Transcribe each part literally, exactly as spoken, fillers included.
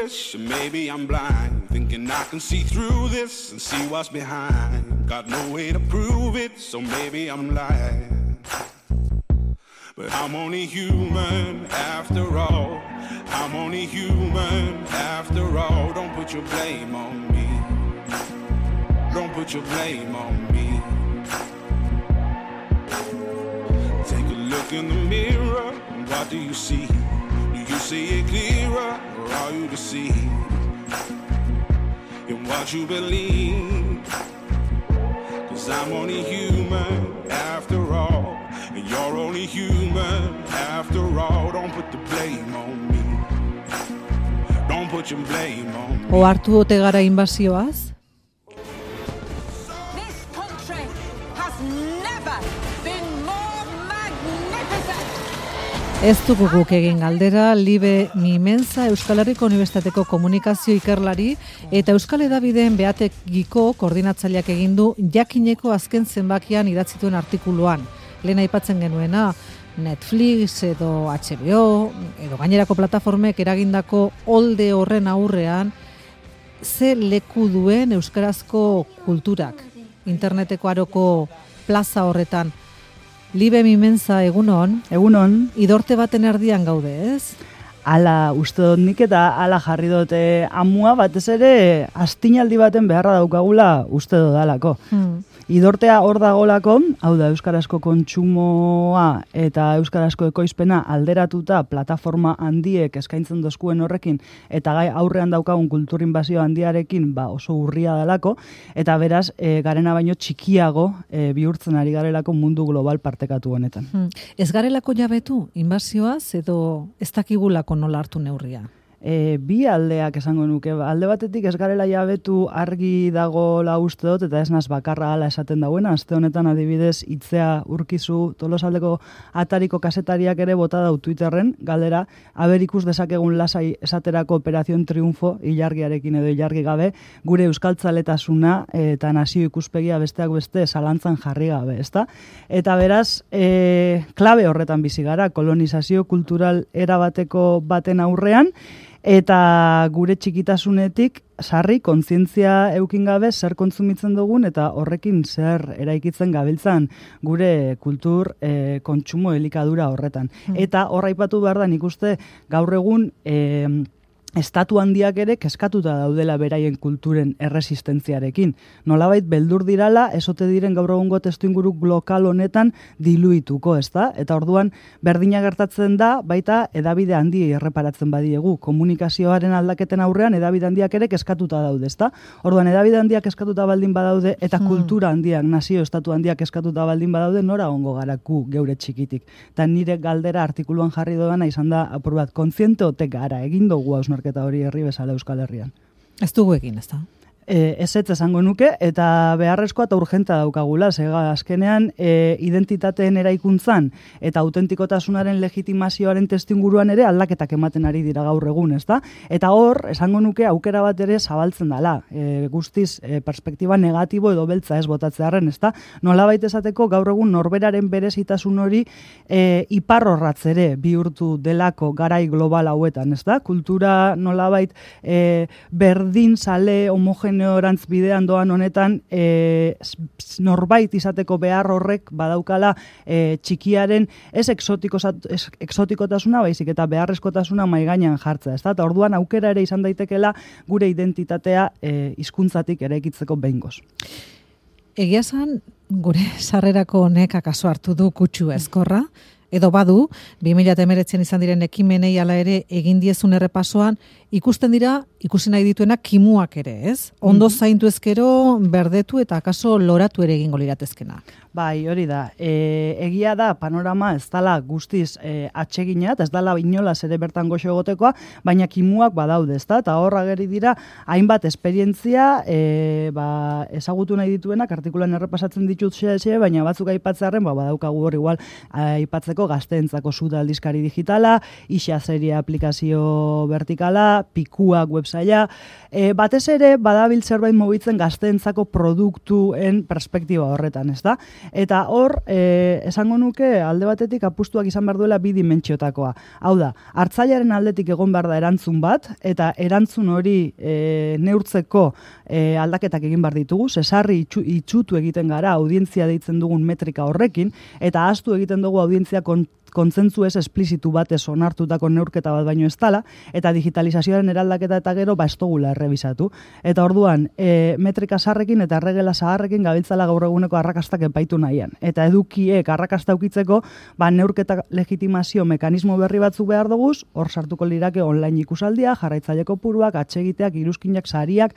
foolish, maybe I'm blind, thinking I can see through this and see what's behind. Got no way to prove it, so maybe I'm lying. But I'm only human after all. I'm only human after all. Don't put your blame on me. Don't put your blame on me. Take a look in the mirror, what do you see? Do you see it clearer, or are you deceived in what you believe? 'Cause I'm only human after all, and you're only human after all. Don't put the blame on me. Don't put your blame on me. Ohartu ote gara inbasioaz? This country has never been more magnificent. Ez dugu guk egin galdera, Libe Mimenza Euskal Herriko Unibertsitateko komunikazio ikerlari eta Euskal Hedabideen behategiko koordinatzaileak egin du jakineko azken zenbakian idatzituen artikuluan. Lehen aipatzen genuena, Netflix edo H B O edo gainerako plataformek eragindako olde horren aurrean ze leku duen euskarazko kulturak interneteko aroko plaza horretan. Libe Mimenza, egunon. Egunon. Idorte baten erdian gaude, ez? Ala uste dut nik eta ala jarri dute amua batez ere astinaldi baten beharra daukagula uste dut dalako. Hmm. Idortea hor dagolako, hau da euskarazko kontsumoa eta euskarazko ekoizpena alderatuta plataforma handiek eskaintzen dozkuen horrekin eta gai aurrean daukagun kultur inbazio handiarekin ba oso urria dalako eta beraz e, garena baino txikiago e, bihurtzen ari garelako mundu global partekatu honetan. Hmm. Ez garelako jabetu inbazioaz edo ez dakigulako nola hartu neurria? E, bi aldeak esango nuke. Alde batetik ez garela jabetu argi dago la uste dut, eta ez naz bakarra ala esaten dagoena. Aste honetan adibidez Itzea Urkizu Tolosaldeko atariko kasetariak ere bota dau Twitterren, galdera, aber ikus dezakegun lasai esaterako Operación Triunfo, ilargiarekin edo ilargi gabe, gure euskaltzaletasuna eta nazio ikuspegia besteak beste zalantzan jarri gabe, ezta? Eta beraz, e, klabe horretan bizi gara, kolonizazio kultural erabateko baten aurrean, eta gure txikitasunetik sarri kontzientzia eukin gabe zer kontsumitzen dugun eta horrekin zer eraikitzen gabiltzan gure kultur e, kontsumo elikadura horretan. Hmm. Eta hor aipatu behar da nik uste gaur egun e, estatu handiak ere kezkatuta daudela beraien kulturen erresistentziarekin. Nolabait beldur dirala, esote diren gaur egungo testuinguru lokal honetan diluituko, ezta? Eta orduan berdina gertatzen da, baita edabide handiei erreparatzen badiegu. Komunikazioaren aldaketen aurrean edabide handiak ere kezkatuta daude, ezta? Orduan edabide handiak kezkatuta baldin badaude eta hmm. kultura handiak, nazio estatu handiak kezkatuta baldin badaude, nora ongo garaku geure txikitik. Eta nire galdera artikuluan jarri doana izan da, apur bat, kontziente otek gara, egin dugu hausnarketa hori herri bezala Euskal Herrian. Ez dugu egin, ez da? E, ez ez esango nuke, eta beharrezkoa eta urgenta daukagula, zega azkenean e, identitateen eraikuntzan eta autentikotasunaren legitimazioaren testinguruan ere aldaketak ematen ari dira gaur egun, ez da? Eta hor, esango nuke aukera bat ere zabaltzen dala, e, guztiz e, perspektiba negatibo edo beltza ez botatzearen, ez da? Nolabait esateko gaur egun norberaren berezitasun hori e, iparrorratz ere bihurtu delako garai global hauetan, ez da? Kultura nolabait e, berdin, sale, homogen orantz bidean doan honetan e, norbait izateko behar horrek badaukala e, txikiaren ez, ez exotikotasuna baizik eta beharrezkotasuna maigainan jartza, ezta? Eta orduan aukera ere izan daitekela gure identitatea e, hizkuntzatik eraikitzeko behingoz. Egia esan gure sarrerako honek akaso hartu du kutsu ezkorra, edo badu, bi mila hemeretzian izan diren ekimenei ala ere egin diezun errepasoan, ikusten dira, ikusi nahi dituenak kimuak ere, ez? Ondo zaintu ezkero, berdetu eta akaso loratu ere egingo liratezkena. Bai, hori da. E, egia da, panorama ez dala guztiz e, atseginat, ez dala inolaz ere bertan goxo egotekoa, baina kimuak badaude, ezta? Eta horra geri dira, hainbat esperientzia e, ba, ezagutu nahi dituenak, artikulan errepasatzen ditut xe, baina batzuk aipatzearen, ba, badaukagu hor igual aipatzeko entzako, gazteentzako Suda aldizkari digitala, Ixa serie aplikazio vertikala, Pikuak websaila, e, batez ere badabil zerbait mugitzen gazteentzako produktuen perspektiba horretan, ez da? Eta hor, e, esango nuke alde batetik apustuak izan behar duela bi dimentsiotakoa. Hau da, hartzailearen aldetik egon behar da erantzun bat, eta erantzun hori e, neurtzeko e, aldaketak egin behar ditugu, sesarri itxu, itxutu egiten gara audientzia deitzen dugun metrika horrekin, eta ahaztu egiten dugu audientzia kon, kontzentzu ez esplizitu batez onartutako neurketa bat baino ez dala, eta digitalizazioaren eraldaketa eta gero ba estogula errebisatu. Eta orduan, e, metrika sarrekin eta erregela zaharrekin gabiltzala gaur eguneko arrakastak epaitu nahian. Eta edukiek arrakasta ukitzeko, ba neurketa legitimazio mekanismo berri batzuk behar duguz, hor sartuko lirake online ikusaldia, jarraitzaileko puruak, atsegiteak, iruzkinak, sariak,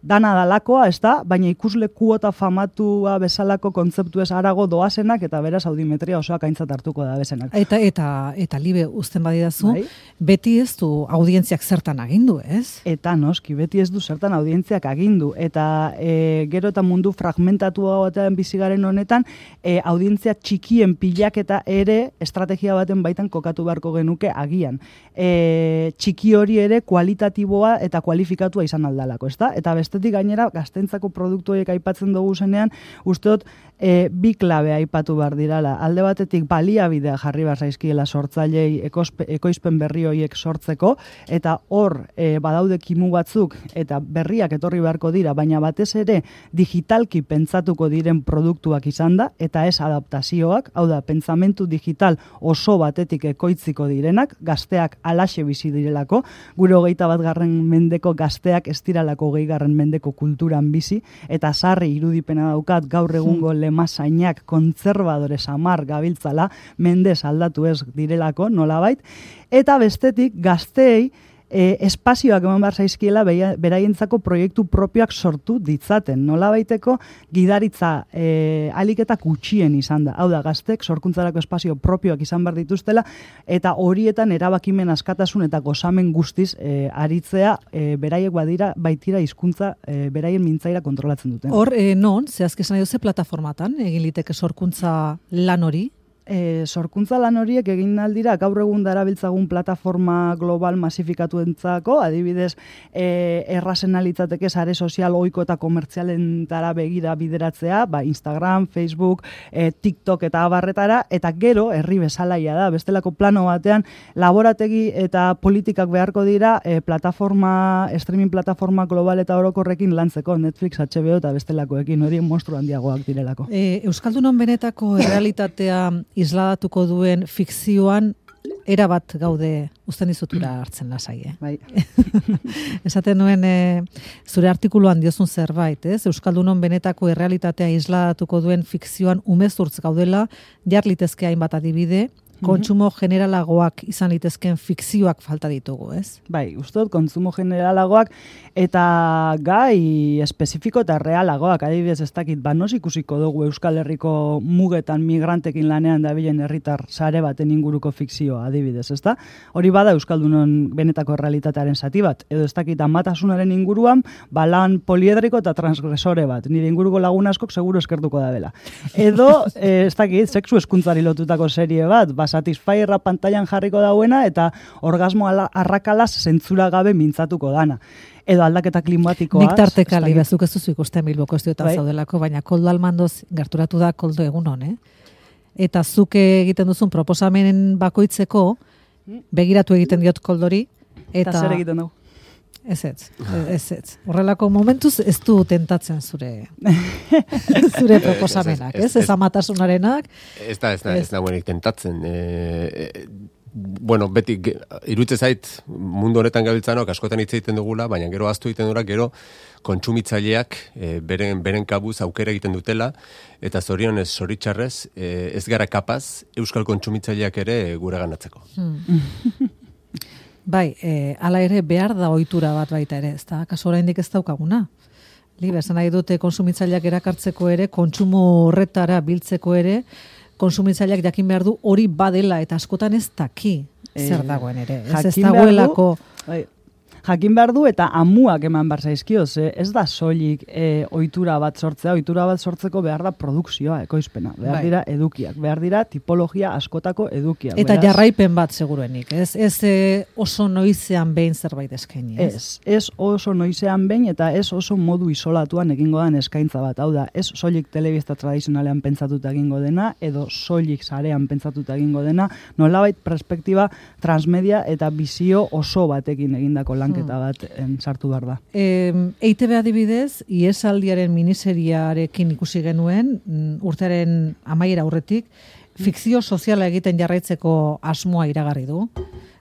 dana dalakoa, ez da, baina ikusle kuota famatua bezalako kontzeptu ez arago doazenak eta beraz audimetria osoak aintzat hartuko da bezenak. Eta, eta, eta libe uzten badidazu, bai? Beti ez du audientziak zertan agindu, ez? Eta noski, beti ez du zertan audientziak agindu. Eta e, gero eta mundu fragmentatua batean bizigaren honetan, e, audientzia txikien pilaketa ere estrategia baten baitan kokatu beharko genuke agian. E, txiki hori ere kualitatiboa eta kualifikatua izan aldalako, ez da? Eta beste bestetik gainera, gaztentzako produktu horiek aipatzen dugu zenean, usteot e, bi klabe aipatu behar dirala. Alde batetik baliabidea jarri behar zaizkiela sortzailei ekoizpen berri horiek sortzeko, eta hor e, badaude kimu batzuk, eta berriak etorri beharko dira, baina batez ere digitalki pentsatuko diren produktuak izan da, eta ez adaptazioak, hau da, pentsamentu digital oso batetik ekoitziko direnak, gazteak alaxe bizi direlako, gure hogeita bat garren mendeko gazteak ez diralako hogei garren mendeko kulturan bizi, eta sarri irudipena daukat gaur egungo lemasainak kontserbadore samar gabiltzala, mendez aldatu ez direlako, nolabait, eta bestetik gazteei E, espazioak eman behar zaizkiela beraientzako proiektu propioak sortu ditzaten. Nolabaiteko gidaritza e, aliketak gutxien izan da. Hau da, gaztek sorkuntzarako espazio propioak izan behar dituztela, eta horietan erabakimen askatasun eta gozamen guztiz e, aritzea e, beraiek badira baitira hizkuntza e, beraien mintzaira kontrolatzen duten. Hor, e, non, zehazki esan nahi duze plataformatan, egin liteke sorkuntza lan hori? E, sorkuntza lan horiek egin aldira gaur egun darabiltzagun plataforma global masifikatuentzako, adibidez e, errazen alitzateke sare sozial ohiko eta komertzialentara begira bideratzea, ba Instagram, Facebook, e, TikTok eta abarretara, eta gero herri bezalaia da, bestelako plano batean laborategi eta politikak beharko dira e, plataforma, streaming plataforma global eta orokorrekin lantzeko, Netflix, H B O eta bestelakoekin, hori monstru handiagoak direlako. E, Euskaldunon benetako realitatea isladatuko duen fikzioan erabat gaude uzten dizutura hartzen lasai, eh? Bai. Esaten nuen e, zure artikuluan diozun zerbait, ez? Euskaldunon benetako errealitatea isladatuko duen fikzioan umezurtz gaudela, jar litezke hainbat adibide, kontsumo generalagoak izan litezken fikzioak falta ditugu, ez? Bai, uste dut kontsumo generalagoak eta gai espezifiko eta realagoak, adibidez ez dakit, banos ikusiko dugu Euskal Herriko mugetan migrantekin lanean dabilen herritar sare baten inguruko fikzioa, adibidez, ezta? Hori bada Euskaldunon benetako realitatearen zati bat, edo ez dakit amatasunaren inguruan, balan poliedriko eta transgresore bat, nire inguruko lagun askok seguru eskertuko da bela. Edo, eh, ez dakit, sexu eskuntzari lotutako serie bat, ba, Satisfyerra pantailan jarriko dauena eta orgasmo arrakalaz zentzura gabe mintzatuko dana. Edo aldaketa klimatikoa. Nik tarteka libezuk ez duzu ikusten Bilboko estudioetan bai. Zaudelako, baina koldo almandoz gerturatu da koldo egunon, eh? Eta zuke egiten duzun proposamenen bakoitzeko begiratu egiten diot koldori. Eta zer egiten dugu? Ez ez, ez ez. Horrelako momentuz ez du tentatzen zure zure proposamenak, ez? Ez amatasunarenak. Ez da, ez da, ez da buenik tentatzen. E, e, bueno, beti, irutze zait, mundu honetan gabiltzanok askotan hitz egiten dugula, baina gero ahaztu egiten dura, gero kontsumitzaileak e, beren, beren kabuz aukera egiten dutela, eta zorionez, zoritxarrez, e, ez gara kapaz, euskal kontsumitzaileak ere gure ganatzeko. Hmm. Bai, e, ala ere behar da ohitura bat baita ere, ez da, kaso oraindik ez daukaguna. Libe, esan nahi dute konsumitzaileak erakartzeko ere, kontsumo horretara biltzeko ere, konsumitzaileak jakin behar du hori badela, eta askotan ez daki zer dagoen ere. Ez ez dagoelako... Bai. jakin behar du eta amuak eman behar zaizkio, ze ez da soilik e, ohitura bat sortzea, ohitura bat sortzeko behar da produkzioa, ekoizpena, behar Bai. dira edukiak, behar dira tipologia askotako edukiak. Eta beraz, jarraipen bat seguruenik, ez? Ez eh, oso noizean behin zerbait eskaini, ez? Ez, ez oso noizean behin eta ez oso modu isolatuan egingo den eskaintza bat. Hau da, ez soilik telebista tradizionalean pentsatuta egingo dena, edo soilik sarean pentsatuta egingo dena, nolabait perspektiba transmedia eta bizio oso batekin egindako lanketa bat en, sartu behar da. E, E I Te Be adibidez, Iesaldiaren miniseriarekin ikusi genuen, mm, urtearen amaiera aurretik, fikzio soziala egiten jarraitzeko asmoa iragarri du.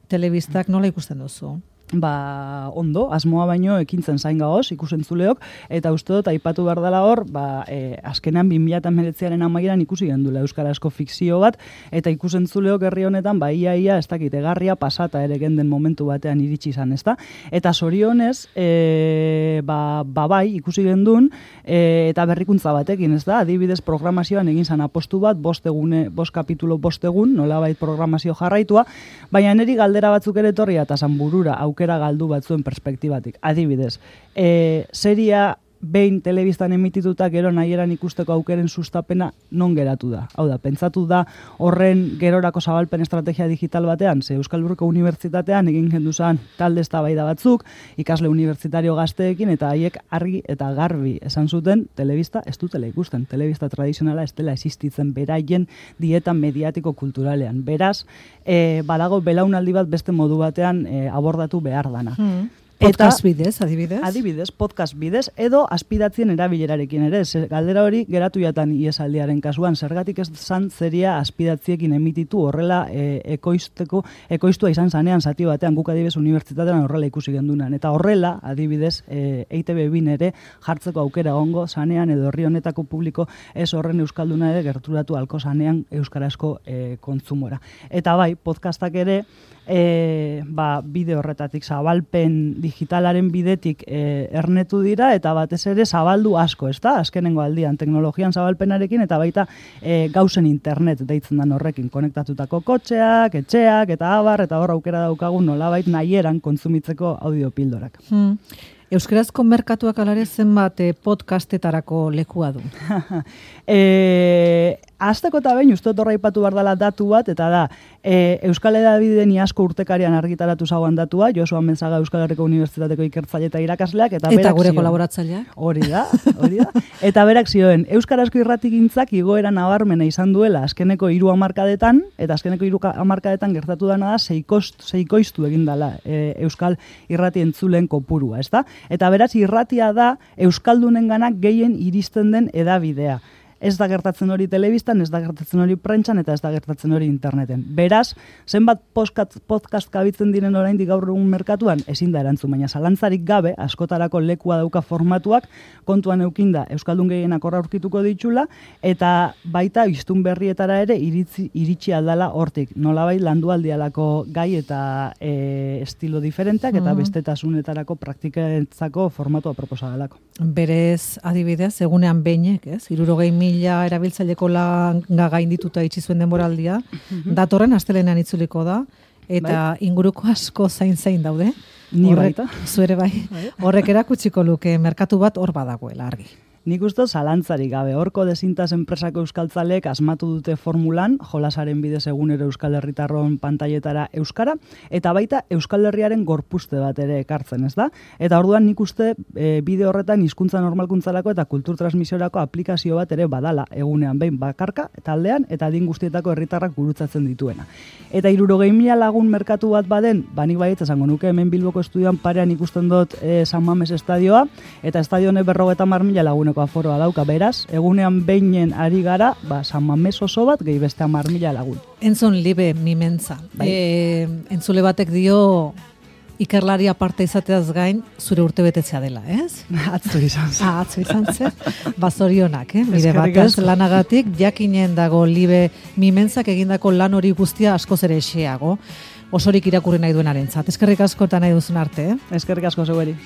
Telebistak nola ikusten duzu? Ba, ondo, asmoa baino ekintzen zain gaoz, ikusentzuleok, eta uste dut, aipatu behar dela hor, ba, e, azkenean bi mila hemeretziaren amaieran ikusi gendula euskarazko fikzio bat, eta ikusentzuleok herri honetan, ba, ia, ia, ez dakit, egarria pasata ere genden momentu batean iritsi izan, ezta? Eta zorionez, e, ba, ba, bai, ikusi gendun, e, eta berrikuntza batekin, ez da? Adibidez, programazioan egin zan apostu bat, bost egune, bost kapitulo bost egun, nolabait programazio jarraitua, baina neri galdera batzuk ere etorria eta zan burura, aukera galdu batzuen perspektibatik. Adibidez, e, seria behin telebistan emitituta gero nahieran ikusteko aukeren sustapena non geratu da. Hau da, pentsatu da horren gerorako zabalpen estrategia digital batean, ze Euskal Herriko Unibertsitatean egin genduzan talde eztabaida batzuk, ikasle unibertsitario gazteekin, eta haiek argi eta garbi esan zuten telebista ez dutela ikusten. Telebista tradizionala ez dela existitzen beraien dieta mediatiko kulturalean. Beraz, e, badago belaunaldi bat beste modu batean e, abordatu behar dana. Hmm. Podcast bidez, adibidez? Adibidez, podcast bidez, edo aspidatzien erabilerarekin ere. Zer, galdera hori geratu jatan Iesaldiaren kasuan, zergatik ez zan zeria aspidatziekin emititu horrela e, ekoizteko, ekoiztua izan zanean zati batean, guk adibidez unibertsitatean horrela ikusi gendunan. Eta horrela, adibidez, e, E I Te Be bin ere jartzeko aukera ongo zanean edo herri honetako publiko ez horren euskalduna ere gerturatu alko zanean euskarazko e, kontzumora. Eta bai, podcastak ere, E, ba, bide horretatik zabalpen digitalaren bidetik e, ernetu dira eta batez ere zabaldu asko, ezta? Azkenengo aldian teknologian zabalpenarekin eta baita e, gauzen internet deitzen den horrekin konektatutako kotxeak, etxeak eta abar eta hor aukera daukagun nolabait nahieran kontsumitzeko audiopildorak. Hmm. Euskarazko merkatuak alare zenbat eh, podcastetarako lekua du? e, Azteko eta behin, uste horra ipatu behar dela datu bat, eta da, e, Euskal Hedabideen iazko urtekarian argitaratu zauan datua, Josu Amenzaga Euskal Herriko Unibertsitateko ikertzaile eta irakasleak, eta, eta gure zioen, kolaboratzaileak? Hori da, hori da. Eta berak zioen, Euskarazko irratigintzak igoera nabarmena izan duela azkeneko hiru hamarkadetan, eta azkeneko hiru hamarkadetan gertatu dana da, seikost, seikoiztu egin dela e, Euskal irrati entzulen kopurua, ezta? Eta beraz, irratia da Euskaldunenganak gehien iristen den edabidea. Ez da gertatzen hori telebistan, ez da gertatzen hori prentsan, eta ez da gertatzen hori interneten. Beraz, zenbat podcast, podcast kabitzen diren oraindik gaur egun merkatuan, ezin da erantzun, baina zalantzarik gabe, askotarako lekua dauka formatuak, kontuan eukinda Euskaldun gehienak horra aurkituko ditula, eta baita iztun berrietara ere iritzi, iritsi aldala hortik. Nolabait landu aldialako gai eta e, estilo diferenteak, eta bestetazunetarako praktiketzako formatua proposadalako. Berez, adibidez, egunean beinek, ez? Hirurogei mila erabiltzaileko langa gaindituta itxi zuen denboraldia, datorren astelenean itzuliko da, eta bai, inguruko asko zain-zain daude. Ni Horrek, baita. Zuere bai. Horrek erakutsiko luke merkatu bat hor badagoela argi. Nik uste zalantzarik gabe, horko dezintas enpresako euskaltzalek asmatu dute formulan, jolasaren bidez egunero Euskal Herritarron pantailetara euskara, eta baita Euskal Herriaren gorpuzte bat ere ekartzen, ez da? Eta orduan nik uste e, bide horretan hizkuntza normalkuntzarako eta kultur transmisiorako aplikazio bat ere badala, egunean behin bakarka, taldean, eta adin guztietako herritarrak gurutzatzen dituena. Eta hirurogei mila lagun merkatu bat baden, banik baiet esango nuke hemen Bilboko estudioan parean ikusten dut e, San Mames estadioa, eta estadione berrogeta mar mila laguneko aforoa dauka, beraz, egunean beinen ari gara, ba, San Mames oso bat, gehi beste hamar mila lagun. Entzun libe mimentza. Bai. E, entzule batek dio ikerlari aparte izateaz gain, zure urtebetetzea dela, ez? Atzo izan zen. Ah, atzo izan zen. Bazorionak, eh? Bide Eskerrik batez, asko. lanagatik, jakinen dago libe mimentzak egindako lan hori guztia askoz ere eseago, osorik irakurri nahi duenarentzat. Eskerrik asko eta nahi duzun arte, eh? Eskerrik asko zeueri.